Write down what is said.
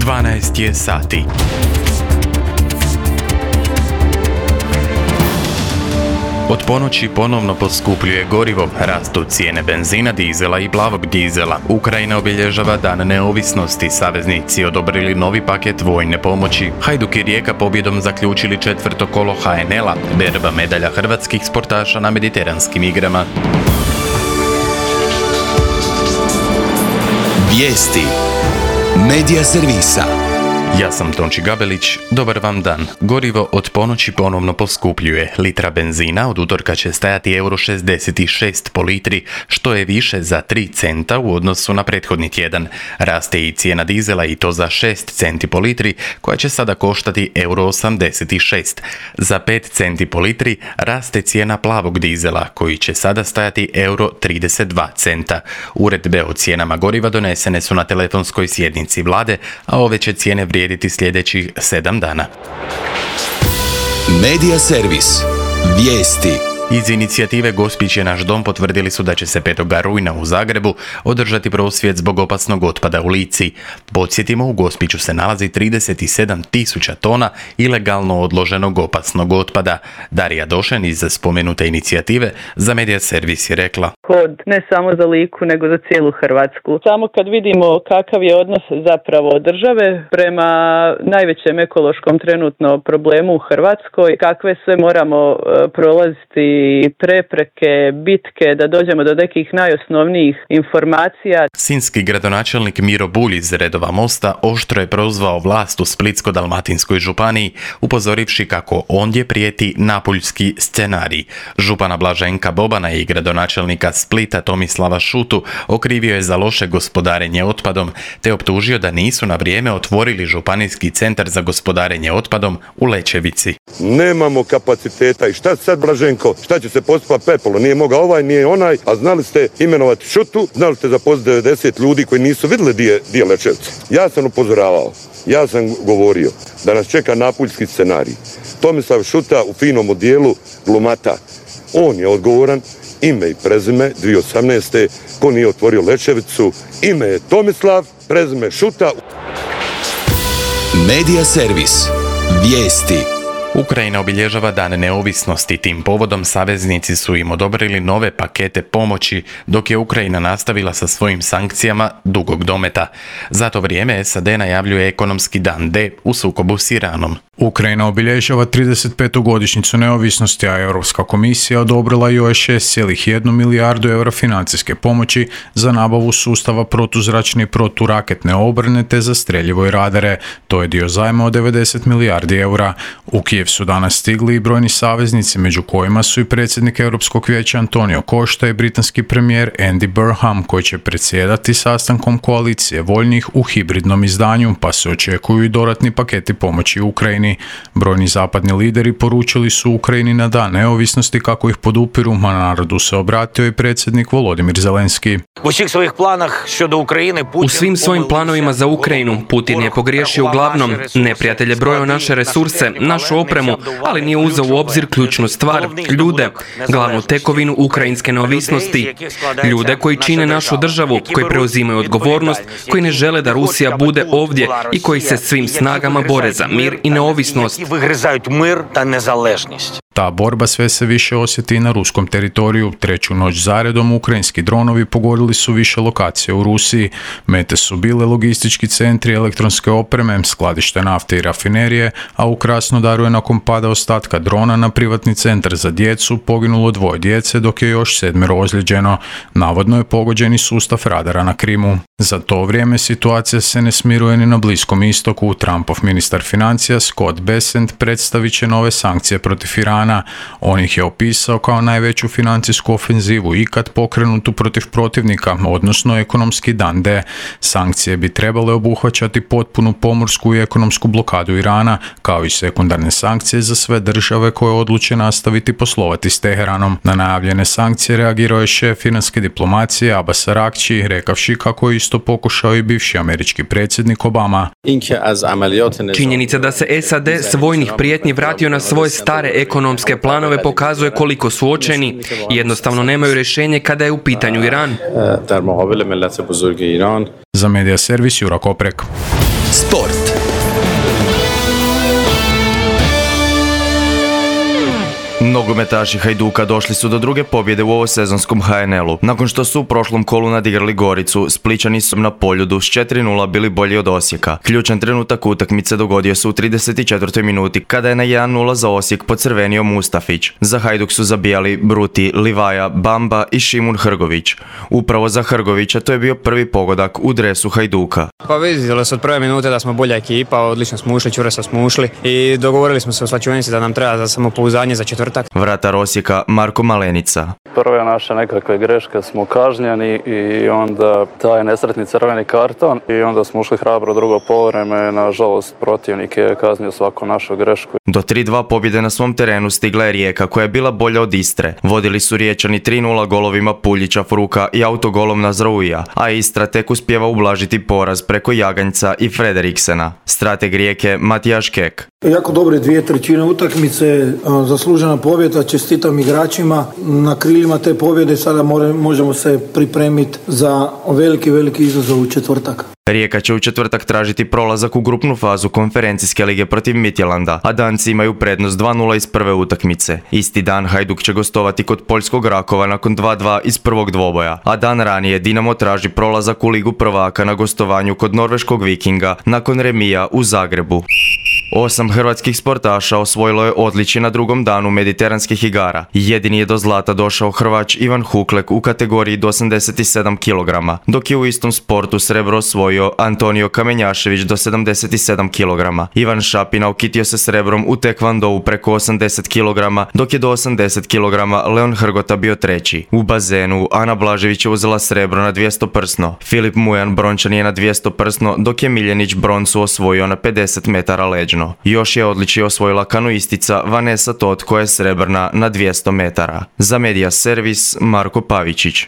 12 je sati. Od ponoći ponovno poskupljuje gorivo, rastu cijene benzina, dizela i plavog dizela. Ukrajina obilježava Dan neovisnosti, saveznici odobrili novi paket vojne pomoći. Hajduk i Rijeka pobjedom zaključili četvrto kolo HNL-a, berba medalja hrvatskih sportaša na mediteranskim igrama. Vijesti Medija servisa. Ja sam Tonči Gabelić, dobar vam dan. Gorivo od ponoći ponovno poskupljuje. Litra benzina od utorka će stajati €66 po litri, što je više za 3 centa u odnosu na prethodni tjedan. Raste i cijena dizela i to za 6 centi po litri, koja će sada koštati €86. Za 5 centi po litri raste cijena plavog dizela, koji će sada stajati €32 centa. Uredbe o cijenama goriva donesene su na telefonskoj sjednici vlade, a ove će cijene vrijediti sljedećih 7 dana. Medija servis. Vijesti. Iz inicijative Gospić je naš dom potvrdili su da će se 5. rujna u Zagrebu održati prosvjed zbog opasnog otpada u Lici. Podsjetimo, u Gospiću se nalazi 37.000 tona ilegalno odloženog opasnog otpada. Darija Došen iz spomenute inicijative za Medija servis je rekla: Kod ne samo za Liku nego za cijelu Hrvatsku. Samo kad vidimo kakav je odnos zapravo države prema najvećem ekološkom trenutno problemu u Hrvatskoj, kakve sve moramo prolaziti prepreke, bitke, da dođemo do nekih najosnovnijih informacija. Sinjski gradonačelnik Miro Bulj iz redova Mosta oštro je prozvao vlast u Splitsko-dalmatinskoj županiji, upozorivši kako ondje prijeti napuljski scenarij. Župana Blaženka Bobana i gradonačelnika Splita Tomislava Šutu okrivio je za loše gospodarenje otpadom, te optužio da nisu na vrijeme otvorili županijski centar za gospodarenje otpadom u Lećevici. Nemamo kapaciteta i šta sad, Blaženko? Šta će se postupa pepelo? Nije mogao ovaj, nije onaj, a znali ste imenovati Šutu, znali ste zaposliti 90 ljudi koji nisu vidjeli di je Lećevica. Ja sam upozoravao, ja sam govorio da nas čeka napuljski scenarij. Tomislav Šuta u finom odijelu glumata. On je odgovoran, ime i prezime 2018. ko nije otvorio Lećevicu, ime je Tomislav, prezime Šuta. Medija servis. Vijesti. Ukrajina obilježava Dan neovisnosti. Tim povodom saveznici su im odobrili nove pakete pomoći, dok je Ukrajina nastavila sa svojim sankcijama dugog dometa. Za to vrijeme SAD najavljuje ekonomski dan D u sukobu s Iranom. Ukrajina obilježava 35. godišnjicu neovisnosti, a Europska komisija odobrila još 6,1 milijardu eura financijske pomoći za nabavu sustava protuzračne i proturaketne obrane te za streljivo i radare. To je dio zajma od 90 milijardi eura. U Kijev su danas stigli i brojni saveznici, među kojima su i predsjednik Europskog vijeća Antonio Costa i britanski premijer Andy Burnham, koji će predsjedati sastankom koalicije voljnih u hibridnom izdanju, pa se očekuju i dodatni paketi pomoći Ukrajini. Brojni zapadni lideri poručili su Ukrajini na Dan neovisnosti kako ih podupiru, a narodu se obratio i predsjednik Volodimir Zelenski. U svim svojim planovima za Ukrajinu Putin je pogriješio uglavnom. Neprijatelj je brojao naše resurse, našu opremu, ali nije uzeo u obzir ključnu stvar, ljude, glavnu tekovinu ukrajinske neovisnosti, ljude koji čine našu državu, koji preuzimaju odgovornost, koji ne žele da Rusija bude ovdje i koji se svim snagama bore za mir i neovisnost. Ta borba sve se više osjeti i na ruskom teritoriju. Treću noć zaredom ukrajinski dronovi pogodili su više lokacije u Rusiji. Mete su bile logistički centri elektronske opreme, skladište nafte i rafinerije, a u Krasnodaru je nakon pada ostatka drona na privatni centar za djecu poginulo 2 djece, dok je još 7 ozlijeđeno. Navodno je pogođen i sustav radara na Krimu. Za to vrijeme situacija se ne smiruje ni na Bliskom istoku. Trumpov ministar financija Scott Bessent predstavit će nove sankcije protiv Irana. On ih je opisao kao najveću financijsku ofenzivu ikad pokrenutu protiv protivnika, odnosno ekonomski dan D. Sankcije bi trebale obuhvaćati potpunu pomorsku i ekonomsku blokadu Irana, kao i sekundarne sankcije za sve države koje odluče nastaviti poslovati s Teheranom. Na najavljene sankcije reagirao je šef iranske diplomacije Abbas Araghchi, rekavši kako je isto pokušao i bivši američki predsjednik Obama. Činjenica da se SAD s vojnih prijetnji vratio na svoje stare ekonomske planove pokazuje koliko su očajni i jednostavno nemaju rješenje kada je u pitanju Iran. Za Medija servis Jura Koprek. Sport. Nogometaši Hajduka došli su do druge pobjede u ovosezonskom HNL-u. Nakon što su u prošlom kolu nadigrali Goricu, Splićani su na Poljudu s 4:0 bili bolji od Osijeka. Ključan trenutak utakmice dogodio se u 34. minuti kada je na 1:0 za Osijek pocrvenio Mustafić. Za Hajduk su zabijali Bruti, Livaja, Bamba i Šimun Hrgović. Upravo za Hrgovića to je bio prvi pogodak u dresu Hajduka. Pa vidjeli se od prve minute da smo bolja ekipa, odlično smo ušli, čvrsto smo ušli i dogovorili smo se u slačionici da nam treba za samopouzdanje za četvrtak. Vratar Osijeka Marko Malenica. Prve naše nekakve greške smo kažnjeni i onda taj nesretni crveni karton i onda smo ušli hrabro drugo poluvreme. Nažalost, protivnik je kaznio svaku našu grešku. Do 3:2 pobjede na svom terenu stigla je Rijeka koja je bila bolja od Istre. Vodili su Riječani 3:0 golovima Puljića, Fruka i autogolom Nazrouija, a Istra tek uspijeva ublažiti poraz preko Jaganjca i Frederiksena. Strateg Rijeke Matijaš Kek. Jako dobre 2/3 utakmice, zaslužena pobjeda, čestitam igračima. Na krilima te pobjede sada možemo se pripremiti za veliki izazov u četvrtak. Rijeka će u četvrtak tražiti prolazak u grupnu fazu konferencijske lige protiv Midtjylanda, a Danci imaju prednost 2:0 iz prve utakmice. Isti dan Hajduk će gostovati kod poljskog Rakova nakon 2:2 iz prvog dvoboja, a dan ranije Dinamo traži prolazak u Ligu prvaka na gostovanju kod norveškog Vikinga nakon remija u Zagrebu. 8 hrvatskih sportaša osvojilo je odličje na drugom danu mediteranskih igara. Jedini je do zlata došao Hrvač Ivan Huklek u kategoriji do 87 kg, dok je u istom sportu srebro osvojio Antonio Kamenjašević do 77 kg. Ivan Šapina okitio se srebrom u tekvandou preko 80 kg, dok je do 80 kg Leon Hrgota bio treći. U bazenu Ana Blažević je uzela srebro na 200 prsno. Filip Mujan brončan je na 200 prsno, dok je Miljenić broncu osvojio na 50 metara leđno. Još je odličje osvojila kanoistica Vanessa Tot koja je srebrna na 200 metara. Za Media Servis Marko Pavičić.